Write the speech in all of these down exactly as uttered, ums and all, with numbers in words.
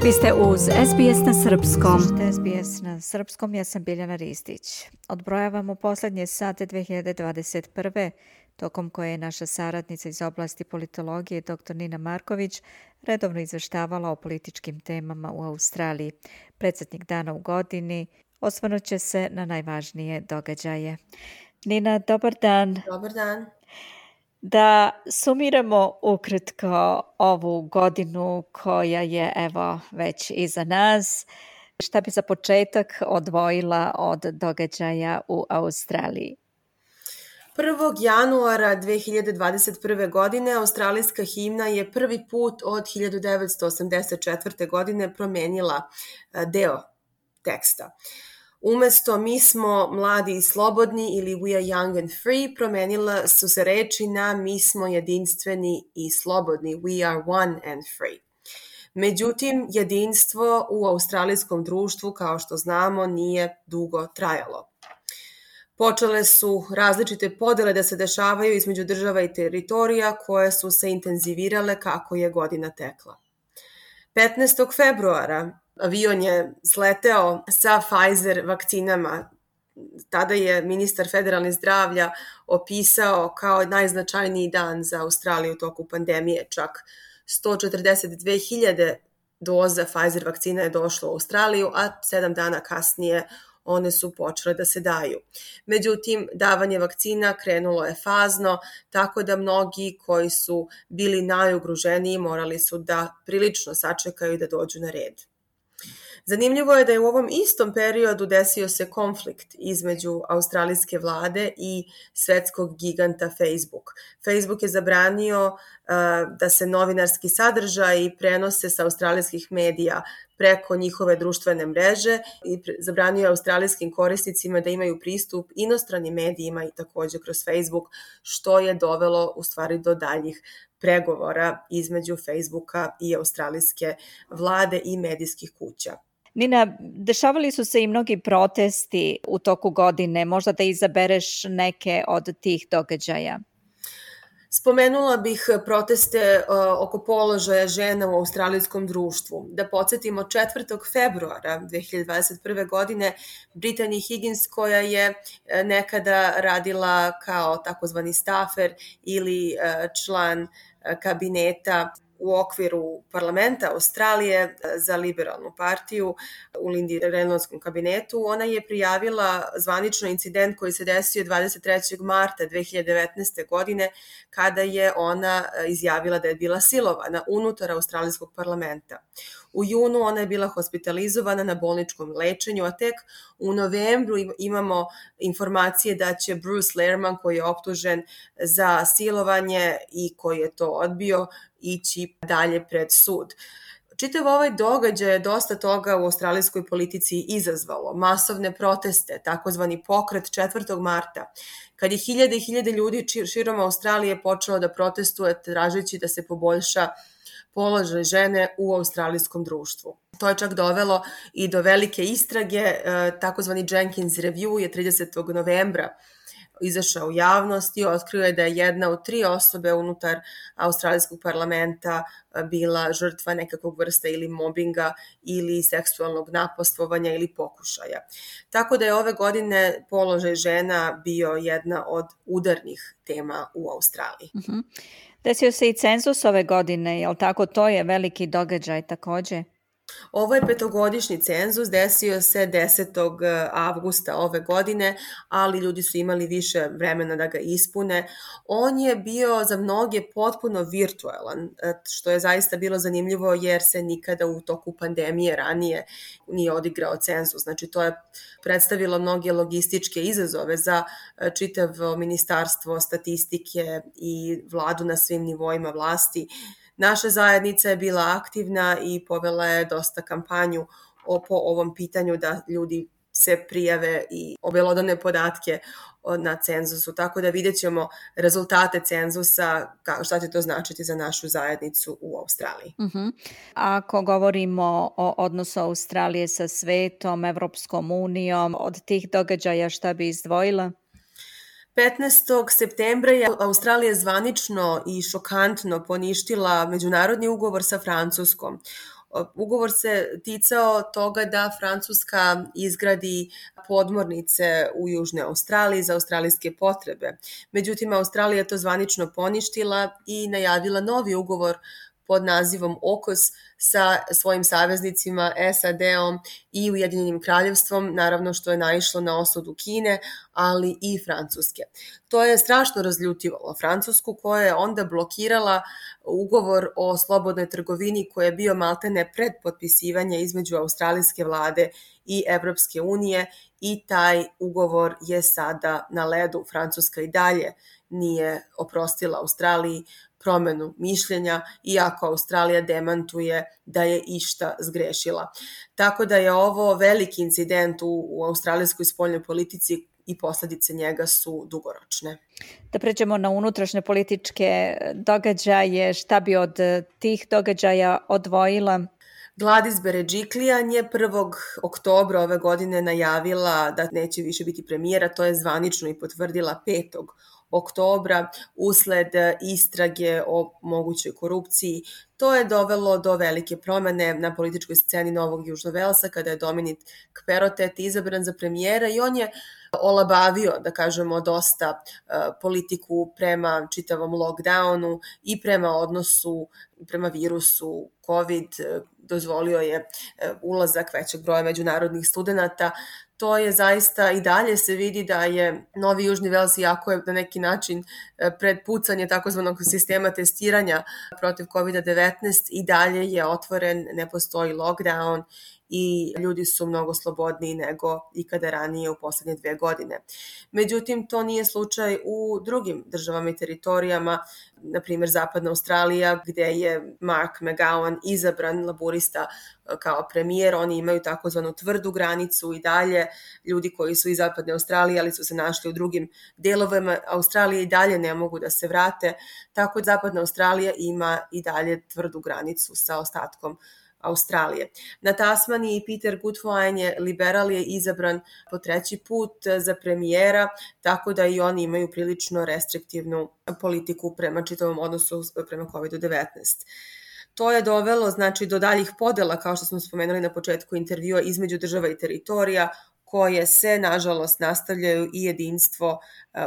Vi ste uz S B S na srpskom. Slušajte S B S na srpskom, ja sam Biljana Ristić. Odbrojavamo poslednje sate dve hiljade dvadeset prve. tokom koje je naša saradnica iz oblasti politologije dr. Nina Marković redovno izveštavala o političkim temama u Australiji. Predsjednik dana u godini osvrnut će se na najvažnije događaje. Nina, dobar dan. Dobar dan. Da sumiramo ukratko ovu godinu koja je evo već iza nas. Šta bi za početak odvojila od događaja u Australiji? prvog januara dve hiljade dvadeset prve. godine australijska himna je prvi put od hiljadu devetsto osamdeset četvrte. godine promenila deo teksta. Umesto mi smo mladi i slobodni ili we are young and free, promenila su se reči na mi smo jedinstveni i slobodni, we are one and free. Međutim, jedinstvo u australijskom društvu, kao što znamo, nije dugo trajalo. Počele su različite podele da se dešavaju između država i teritorija koje su se intenzivirale kako je godina tekla. petnaestog februara avion je sleteo sa Pfizer vakcinama. Tada je ministar federalne zdravlja opisao kao najznačajniji dan za Australiju u toku pandemije. Čak sto četrdeset dve hiljade doza Pfizer vakcina je došlo u Australiju, a sedam dana kasnije one su počele da se daju. Međutim, davanje vakcina krenulo je fazno, tako da mnogi koji su bili najugroženiji morali su da prilično sačekaju da dođu na red. Zanimljivo je da je u ovom istom periodu desio se konflikt između australijske vlade i svetskog giganta Facebook. Facebook je zabranio uh, da se novinarski sadržaji prenose sa australijskih medija preko njihove društvene mreže i zabranio je australijskim korisnicima da imaju pristup inostranim medijima i takođe kroz Facebook, što je dovelo u stvari do daljih pregovora između Facebooka i australijske vlade i medijskih kuća. Nina, dešavali su se i mnogi protesti u toku godine, možda da izabereš neke od tih događaja. Spomenula bih proteste uh, oko položaja žena u australijskom društvu. Da podsjetimo, četvrtog februara dve hiljade dvadeset prve. godine Brittany Higgins, koja je nekada radila kao takozvani staffer ili uh, član uh, kabineta u okviru parlamenta Australije za liberalnu partiju u Lindy Reynoldskom kabinetu, ona je prijavila zvanično incident koji se desio dvadeset trećeg marta dve hiljade devetnaeste. godine kada je ona izjavila da je bila silovana unutar australijskog parlamenta. U junu ona je bila hospitalizovana na bolničkom lečenju, a tek u novembru imamo informacije da će Bruce Lehrmann, koji je optužen za silovanje i koji je to odbio, ići dalje pred sud. Čitav ovaj događaj je dosta toga u australijskoj politici izazvalo. Masovne proteste, takozvani pokret četvrtog marta, kad je hiljade i hiljade ljudi širom Australije počelo da protestuje tražeći da se poboljša položaj žene u australijskom društvu. To je čak dovelo i do velike istrage, takozvani Jenkins Review je tridesetog novembra izašao u javnost i otkrio je da je jedna od tri osobe unutar australijskog parlamenta bila žrtva nekakvog vrsta ili mobinga ili seksualnog napastvovanja ili pokušaja. Tako da je ove godine položaj žena bio jedna od udarnih tema u Australiji. Uh-huh. Desio se i cenzus ove godine, jel tako? To je veliki događaj takođe. Ovo je petogodišnji cenzus, desio se desetog avgusta ove godine, ali ljudi su imali više vremena da ga ispune. On je bio za mnoge potpuno virtualan, što je zaista bilo zanimljivo jer se nikada u toku pandemije ranije nije odigrao cenzus. Znači to je predstavilo mnoge logističke izazove za čitavo ministarstvo statistike i vladu na svim nivoima vlasti. Naša zajednica je bila aktivna i povela je dosta kampanju po ovom pitanju da ljudi se prijave i obelodane podatke na cenzusu, tako da vidjet ćemo rezultate cenzusa, šta će to značiti za našu zajednicu u Australiji. Uh-huh. Ako govorimo o odnosu Australije sa svetom, Evropskom unijom, od tih događaja šta bi izdvojila? petnaestog septembra je Australija zvanično i šokantno poništila međunarodni ugovor sa Francuskom Ugovor se ticao toga da Francuska izgradi podmornice u Južnoj Australiji za australijske potrebe. Međutim, Australija je to zvanično poništila i najavila novi ugovor pod nazivom okos sa svojim saveznicima S A D-om i Ujedinjenim kraljevstvom, naravno što je naišlo na osudu Kine, ali i Francuske. To je strašno razljutivalo Francusku, koja je onda blokirala ugovor o slobodnoj trgovini koji je bio maltene pred potpisivanje između australijske vlade i Evropske unije i taj ugovor je sada na ledu. Francuska i dalje nije oprostila Australiji promenu mišljenja, iako Australija demantuje da je išta zgrešila. Tako da je ovo veliki incident u, u australijskoj spoljnoj politici i posledice njega su dugoročne. Da pređemo na unutrašnje političke događaje, šta bi od tih događaja odvojila? Gladys Berejiklian je prvog oktobra ove godine najavila da neće više biti premijera, to je zvanično i potvrdila petog oktobra usled istrage o mogućoj korupciji. To je dovelo do velike promene na političkoj sceni Novog Južnog Velsa kada je Dominic Perrottet izabran za premijera i on je olabavio, da kažemo, dosta politiku prema čitavom lockdownu i prema odnosu prema virusu COVID, dozvolio je ulazak većeg broja međunarodnih studenta. To je zaista i dalje se vidi da je Novi Južni Vels, iako je na neki način pred pucanje takozvanog sistema testiranja protiv kovid devetnaest, i dalje je otvoren, ne postoji lockdown i ljudi su mnogo slobodniji nego ikada ranije u poslednje dve godine. Međutim, to nije slučaj u drugim državama i teritorijama, na primjer Zapadna Australija, gde je Mark McGowan izabran, laburista, kao premijer. Oni imaju takozvanu tvrdu granicu i dalje. Ljudi koji su iz Zapadne Australije, ali su se našli u drugim delovima Australije, i dalje ne mogu da se vrate. Tako da Zapadna Australija ima i dalje tvrdu granicu sa ostatkom Australije. Na Tasmaniji Peter Gutwein je liberal, je izabran po treći put za premijera, tako da i oni imaju prilično restriktivnu politiku prema čitavom odnosu prema kovid devetnaest. To je dovelo, znači, do daljih podela, kao što smo spomenuli na početku intervjua, između država i teritorija, koje se, nažalost, nastavljaju i jedinstvo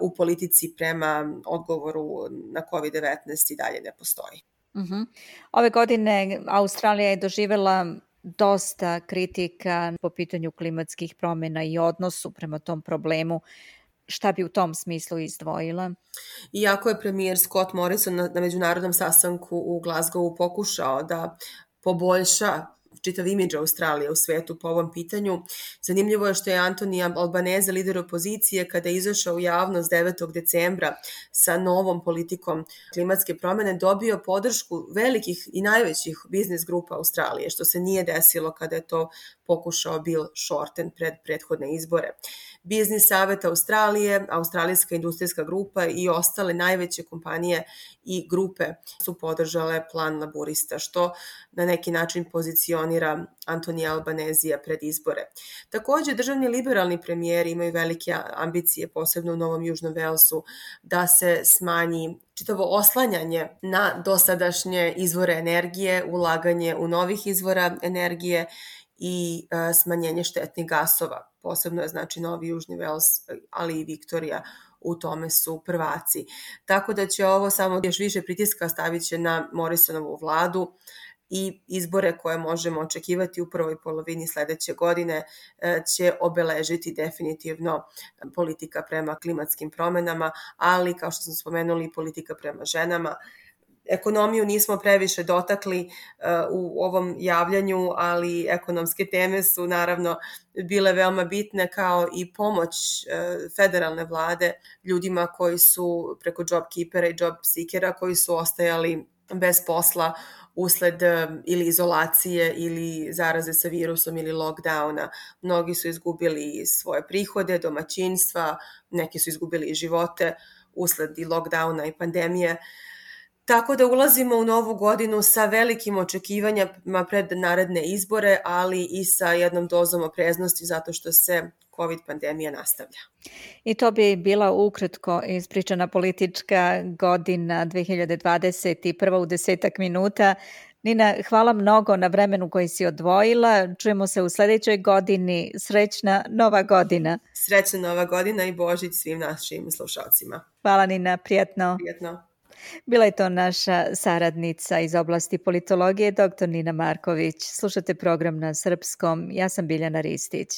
u politici prema odgovoru na kovid devetnaest i dalje ne postoji. Uh-huh. Ove godine Australija je doživjela dosta kritika po pitanju klimatskih promjena i odnosu prema tom problemu. Šta bi u tom smislu izdvojila? Iako je premijer Scott Morrison na, na međunarodnom sastanku u Glasgowu pokušao da poboljša čitav imidž Australije u svetu po ovom pitanju, zanimljivo je što je Anthony Albanese, lider opozicije, kada je izašao u javnost devetog decembra sa novom politikom klimatske promene, dobio podršku velikih i najvećih biznis grupa Australije, što se nije desilo kada je to pokušao Bill Shorten pred prethodne izbore. Biznis savet Australije, Australijska industrijska grupa i ostale najveće kompanije i grupe su podržale plan laburista, što na neki način pozicionira Anthony Albanese pred izbore. Takođe, državni liberalni premijeri imaju velike ambicije, posebno u Novom Južnom Velsu, da se smanji čitavo oslanjanje na dosadašnje izvore energije, ulaganje u novih izvora energije i e, smanjenje štetnih gasova. Posebno je, znači, Novi Južni Vels, ali i Viktorija u tome su prvaci. Tako da će ovo samo još više pritiska stavit će na Morrisonovu vladu i izbore koje možemo očekivati u prvoj polovini sledeće godine će obeležiti definitivno politika prema klimatskim promenama, ali, kao što smo spomenuli, politika prema ženama. Ekonomiju nismo previše dotakli uh, u ovom javljanju, ali ekonomske teme su naravno bile veoma bitne, kao i pomoć uh, federalne vlade ljudima koji su preko JobKeepera i JobSeekera koji su ostajali bez posla usled ili izolacije ili zaraze sa virusom ili lockdowna. Mnogi su izgubili svoje prihode, domaćinstva, neki su izgubili i živote usled i lockdowna i pandemije. Tako da ulazimo u novu godinu sa velikim očekivanjima pred naredne izbore, ali i sa jednom dozom opreznosti zato što se COVID pandemija nastavlja. I to bi bila ukratko ispričana politička godina dve hiljade dvadeset prva u desetak minuta. Nina, hvala mnogo na vremenu koji si odvojila. Čujemo se u sljedećoj godini. Srećna nova godina. Srećna nova godina i Božić svim našim slušalcima. Hvala Nina, prijatno. Prijatno. Bila je to naša saradnica iz oblasti politologije, doktor Nina Marković. Slušate program na srpskom. Ja sam Biljana Ristić.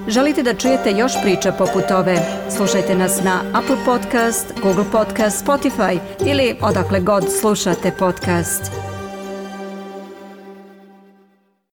Želite da čujete još priča poput ove? Slušajte nas na Apple Podcast, Google Podcast, Spotify ili odakle god slušate podcast.